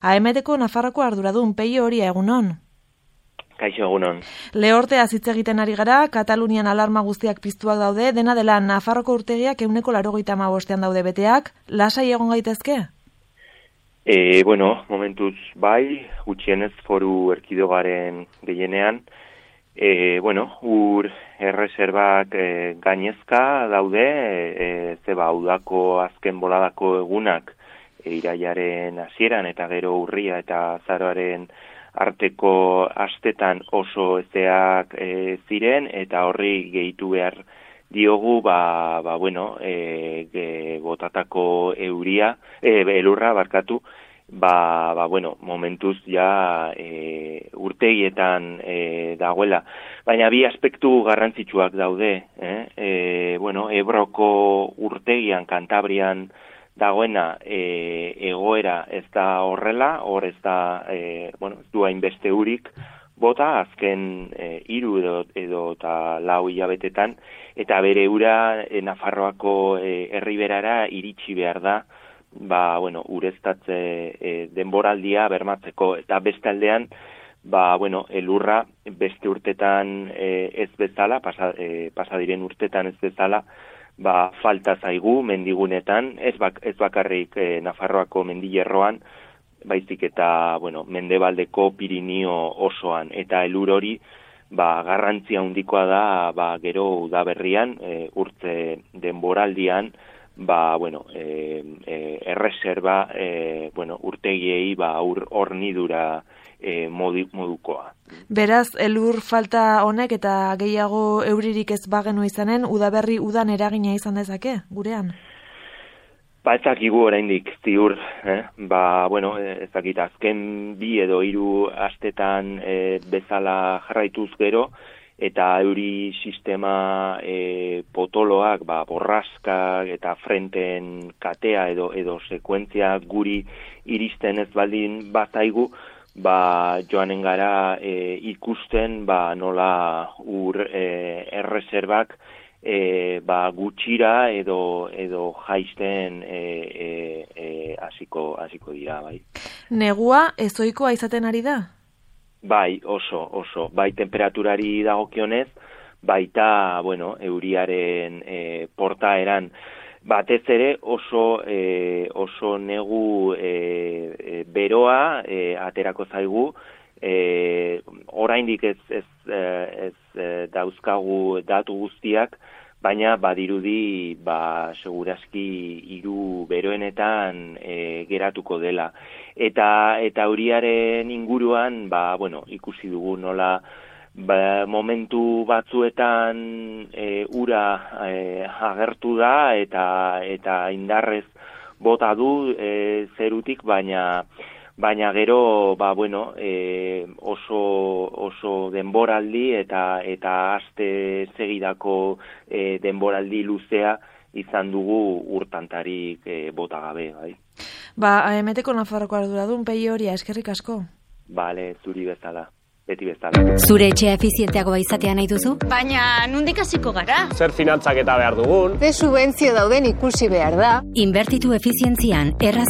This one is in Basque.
AMTko Nafarroko arduradun Peio Oria, egunon. Kaixo, egunon. Lehorteaz hitz egiten ari gara, Katalunian alarma guztiak piztuak daude, dena dela Nafarroko urtegiak 185 daude beteak, lasai egon gaitezke? Momentuz bai, gutxienez foru erkidegaren gehienean, ur erreserbak gainezka daude, udako azken boladako egunak irailaren hasieran eta gero urria eta azaroaren arteko astetan oso ezeak ziren, eta horri gehitu behar diogu botatako elurra barkatu, momentuz ja urtegietan dagoela. Baina bi aspektu garrantzitsuak daude, Ebroko urtegian, Kantabrian dagoena egoera ez da horrela, hor ez da, ez du hainbeste urik bota, azken 3 edo eta 4 hilabetetan, eta bere ura Nafarroako herriberara iritsi behar da, ureztatze denboraldia bermatzeko, eta beste aldean, elurra beste urtetan ez bezala, pasadiren urtetan ez bezala, falta zaigu mendigunetan, ez bakarrik Nafarroako mendilerroan, baizik eta mendebaldeko Pirinio osoan, eta elur hori garrantzia handikoa da gero udaberrian, urtze denboraldian, erreserba urtegiei hornidura modukoa. Beraz, elur falta honek eta gehiago euririk ez bagenu izanen, udaberri udan eragina izan dezake, gurean? Ez dakigu oraindik ziur, ez dakit azken 2 edo 3 astetan bezala jarraituz gero, eta euri sistema potoloak, borraskak eta frenten katea edo sekuentzia guri iristen ez baldin bazaigu, joanen gara ikusten nola ur erreserbak gutxira edo jaisten hasiko dira, bai. Negua ezohikoa izaten ari da? Bai, oso. Bai, temperaturari dagokionez, baita, euriaren portaeran. Batez ere oso negu beroa aterako zaigu, oraindik ez dauzkagu datu guztiak, baina badirudi segurazki 3 beroenetan geratuko dela. Eta euriaren inguruan, ikusi dugu nola momentu batzuetan ura agertu da eta indarrez bota du zerutik, baina gero oso denboraldi eta aste segidako denboraldi luzea izan dugu urtantarik bota gabe, bai. AMTko Nafarroko arduradun Peio Oria, eskerrik asko. Bale, zuri bezala. Beti bezala. Zure etxea efizienteagoa izatea nahi duzu? Baina nondik hasiko gara? Zer finantzaketa behar dugun? Ze subentzio dauden ikusi behar da. Inbertitu efizientzian erraz